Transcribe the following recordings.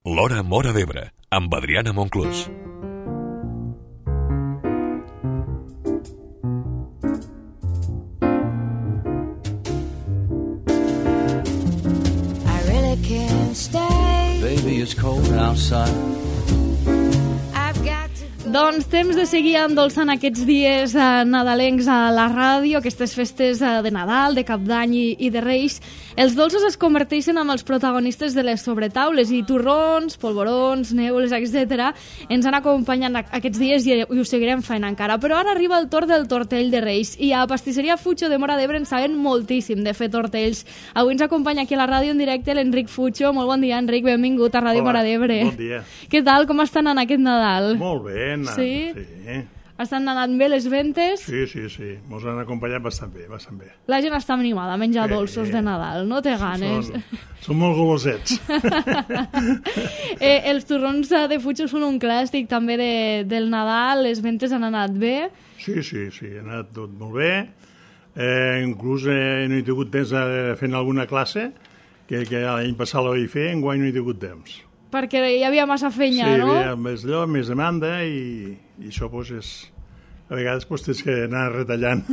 L'Hora Móra d'Ebre, amb Adriana Monclús. I really can't stay. Baby, it's cold outside. I've got to go. Doncs temps de seguir endolçant aquests dies nadalencs a la ràdio, aquestes festes de Nadal, de Cap d'Any i de Reis. Els dolços es converteixen en els protagonistes de les sobretaules i torrons, polvorons, neules, etc. ens han acompanyat aquests dies i ho seguirem fent encara. Però ara arriba el torn del tortell de Reis i a Pastisseria Fucho de Móra d'Ebre en saben moltíssim de fer tortells. Avui ens acompanya aquí a la ràdio en directe l'Enric Fucho. Molt bon dia, Enric, benvingut a Ràdio Móra d'Ebre. Bon dia. Què tal, com estan en aquest Nadal? Molt bé, anant. Sí? Sí. Estan anant bé les ventes? Sí. Mos han acompanyat bastant bé. La gent està animada a menjar Sí. dolços de Nadal, no té ganes. Són molt golosets. Els torrons de Fucho són un clàssic també del Nadal, les ventes han anat bé. Sí, ha anat tot molt bé. Inclús no he tingut temps de fer alguna classe, que l'any passat la vaig fer, enguany no he tingut temps. Perquè hi havia massa feina, no? Sí, hi havia més allò, més demanda i això doncs és... A vegades tens que anar retallant.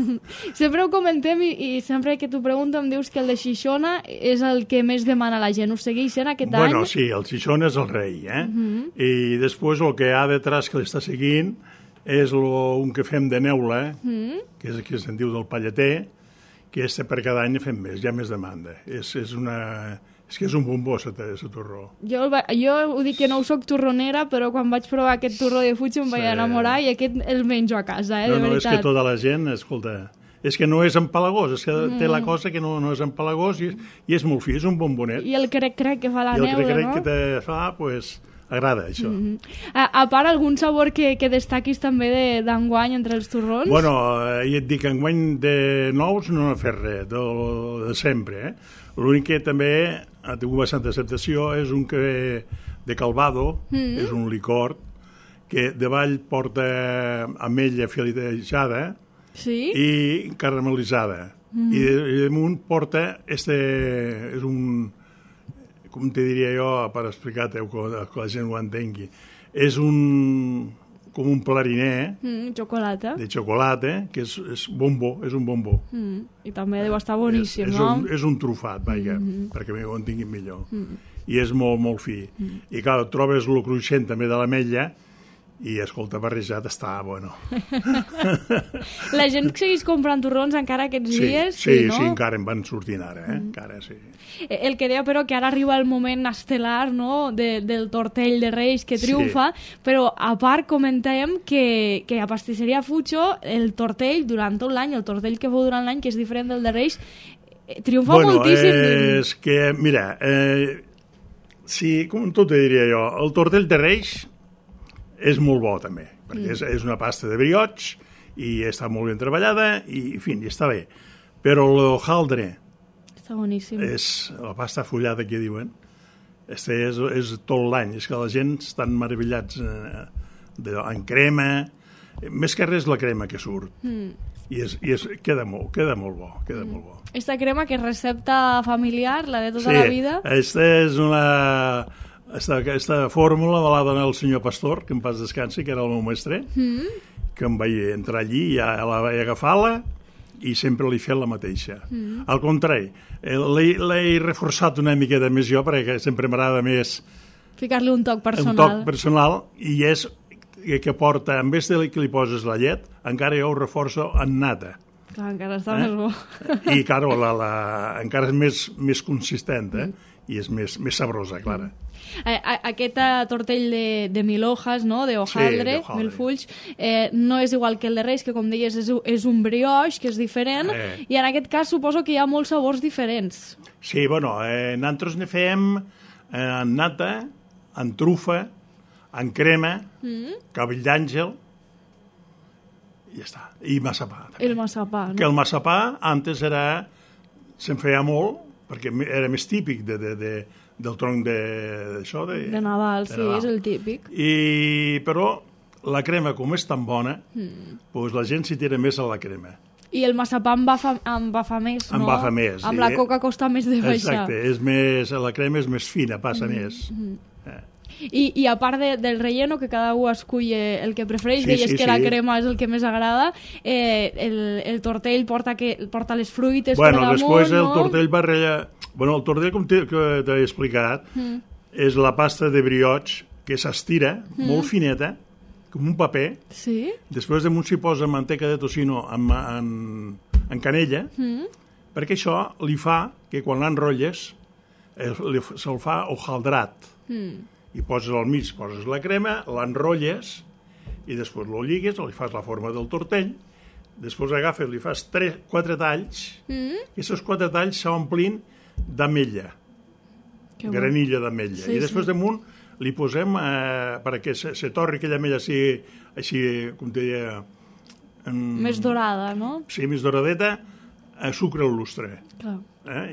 Sempre ho comentem i sempre que t'ho pregunto em dius que el de Xixona és el que més demana la gent. Ho segueix sent aquest any? Bueno, sí, el Xixona és el rei, I després el que hi ha detrás que l'està seguint és un que fem de neula, que és el que se'n diu del palleter, que per cada any fem més, hi ha més demanda. És que és un bombó, aquest torró. Jo ho dic que no soc torronera, però quan vaig provar aquest torró de Fucho em vaig enamorar i aquest el menjo a casa, de veritat. No, és que tota la gent, escolta, és que no és empalagós, és que té la cosa que no és empalagós i és molt fi, és un bombonet. I el crec que fa la neula, no? I el crec que te fa, doncs, agrada, això. A part, algun sabor que destaquis també d'enguany entre els torrons? Bueno, ja et dic, enguany de nous no he fet res, de sempre, L'únic que també ha tingut bastanta acceptació és un que de Calvado, és un licor, que davall porta ametlla filetejada i caramelitzada. I damunt porta, és un, com te diria jo, per explicar-te que la gent ho entengui, és com un clarinet xocolata. De xocolata, que és bombó, és un bombó. I també deu estar boníssim, no? És un trufat, perquè ho entenguin millor. I és molt, molt fi. I clar, trobes el cruixent també de l'ametlla i, escolta, barrejat està, bueno. La gent segueix comprant torrons encara aquests dies? Sí, encara en van sortint ara, encara, sí. El que deia, però, que ara arriba el moment estel·lar, no?, del tortell de Reis que triomfa, però a part comentàvem que a Pastisseria Fucho el tortell durant tot l'any, el tortell que feu durant l'any, que és diferent del de Reis, triomfa moltíssim. Bueno, és que, mira, sí, com tot te diria jo, el tortell de Reis és molt bo també, perquè és una pasta de brioix i està molt ben treballada i, en fi, està bé. Però l'hojaldre està boníssim. És la pasta fullada que diuen. És tot l'any. És que la gent estan meravellats en crema. Més que res la crema que surt. I queda molt bo. Esta crema que és recepta familiar, la de tota la vida? Aquesta fórmula me l'ha donat el senyor Pastor, que en pas descansi, que era el meu mestre, que em vaig entrar allí i la vaig agafar-la i sempre li he fet la mateixa. Al contrari, l'he reforçat una miqueta més jo, perquè sempre m'agrada més... Ficar-li un toc personal. Un toc personal, i és que porta, en vez de que li poses la llet, encara jo ho reforço en nata. Clar, encara està més bo. I, clar, encara és més consistent, i és més sabrosa, clara. Aquest tortell de mil hojas, no?, de hojaldre, mil fulls, no és igual que el de Reis, que com deies és un brioix, que és diferent, i en aquest cas suposo que hi ha molts sabors diferents. Sí, bueno, nosaltres ne fem en nata, en trufa, en crema, cabell d'àngel, i ja està, i massapà. El massapà, no? Que el massapà antes se'n feia molt, perquè era més típic del tronc d'això. De Nadal, sí, és el típic. Però la crema, com és tan bona, doncs la gent s'hi tira més a la crema. I el massapà embafa més, no? Embafa més. Amb la coca costa més de baixar. Exacte, la crema és més fina, passa més. I a part del relleno, que cada un escull el que prefereix, deies que la crema és el que més agrada, el tortell porta les fruites per damunt, després el tortell va rellar... El tortell, com t'he explicat, és la pasta de brioche que s'estira, molt fineta, com un paper. Sí. Després damunt s'hi posa manteca de tocino en canella, perquè això li fa que quan l'enrotlles se'l fa hojaldrat. I poses al mig, poses la crema, l'enrotlles i després lo lligues, li fas la forma del tortell, després agafes, li fas 4 talls, i aquests 4 talls s'omplin d'ametlla, granilla d'ametlla. I després damunt li posem, perquè se torri aquella ametlla així, com te deia... Més dorada, no? Sí, més doradeta, sucre al lustre.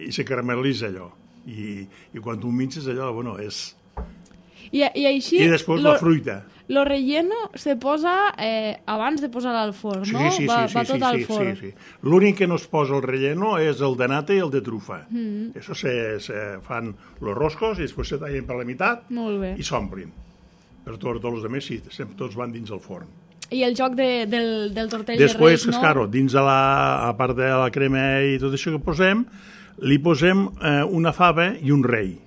I se caramel·litza allò. I quan tu minces allò, és... I així... I després la fruita. Lo relleno se posa abans de posar al forn, no? Sí, va tot al forn. Sí. L'únic que no es posa al relleno és el de nata i el de trufa. Això se fan los roscos i després se tallen per la meitat i s'omplin. Per tots els altres, sí, tots van dins el forn. I el joc del tortell de Reis, no? Després, claro, dins a part de la crema i tot això que posem, li posem una fava i un rei.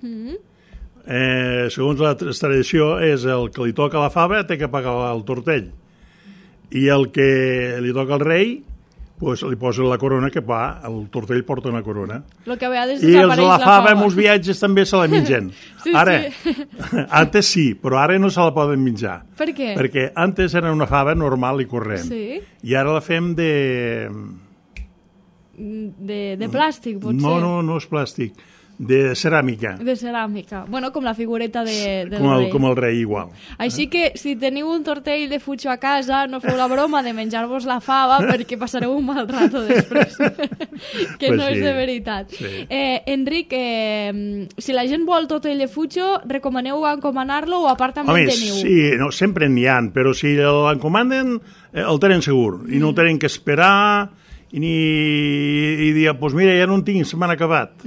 Segons la tradició, és el que li toca la fava té que pagar el tortell. I el que li toca al rei, li posa la corona que va, el tortell porta una corona. Lo que a vegades I els de la fava en uns viatges també se la mengen. Ara, antes sí, però ara no se la poden menjar. Per què? Perquè antes era una fava normal i corrent. I ara la fem de plàstic, potser? No és plàstic. De ceràmica. De ceràmica. Bueno, com la figureta del rei. Com el rei, igual. Així que, si teniu un tortell de fucho a casa, no feu la broma de menjar-vos la fava perquè passareu un mal rato després. Que no és de veritat. Enric, si la gent vol tortell de fucho, recomaneu encomanar-lo o a part també en teniu? Sí, sempre n'hi ha, però si l'encomanen, el tenen segur. I no el tenen que esperar i dir, doncs mira, ja no en tinc, se m'han acabat.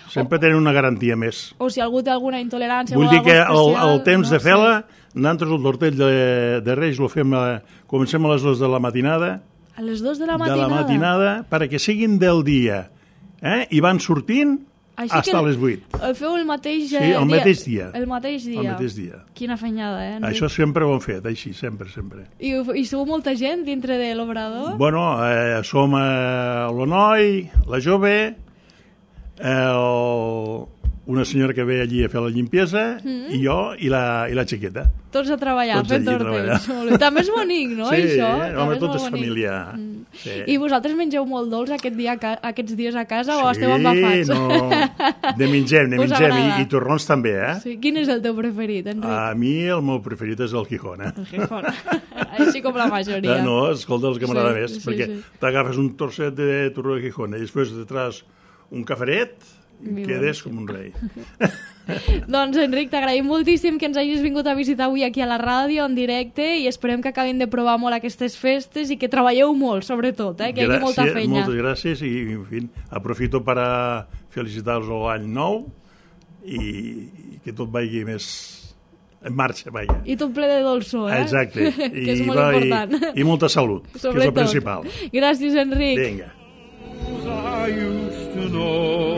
Sempre tenen una garantia més. O si algú té alguna intolerància... Vull dir que el temps de fer-la, nosaltres el tortell de Reis lo fem, comencem a les 2 de la matinada. A les 2 de la matinada? De la matinada, perquè siguin del dia. I van sortint fins a les 8. El feu el mateix dia? Sí, el mateix dia. El mateix dia. Quina fenyada, Això sempre ho hem fet, així, sempre. I sou molta gent dintre de l'obrador? Bueno, som l'Onoi, la jove... una senyora que ve allí a fer la limpiesa i jo i la xiqueta. Tots a treballar, fent tortells. També és bonic, no, això? Sí, home, tot és familiar. I vosaltres mengeu molt dolç aquests dies a casa o esteu embafats? No, de mengem, i torrons també, Sí. Quin és el teu preferit, Enric? A mi el meu preferit és el Gijona. El Gijona, així com la majoria. No, escolta, el que m'agrada més, perquè t'agafes un trosset de torró de Gijona i després detrás un caferet i quedes com un rei. Doncs, Enric, t'agraïm moltíssim que ens hagis vingut a visitar avui aquí a la ràdio en directe i esperem que acabin de provar molt aquestes festes i que treballeu molt, sobretot, que hi hagi molta feina. Moltes gràcies i, en fi, aprofito per felicitar-vos l'any nou i que tot vagi més en marxa, vaja. I tot ple de dolçor, Exacte. Que és molt important. I molta salut, que és el principal. Gràcies, Enric. Vinga. I used to know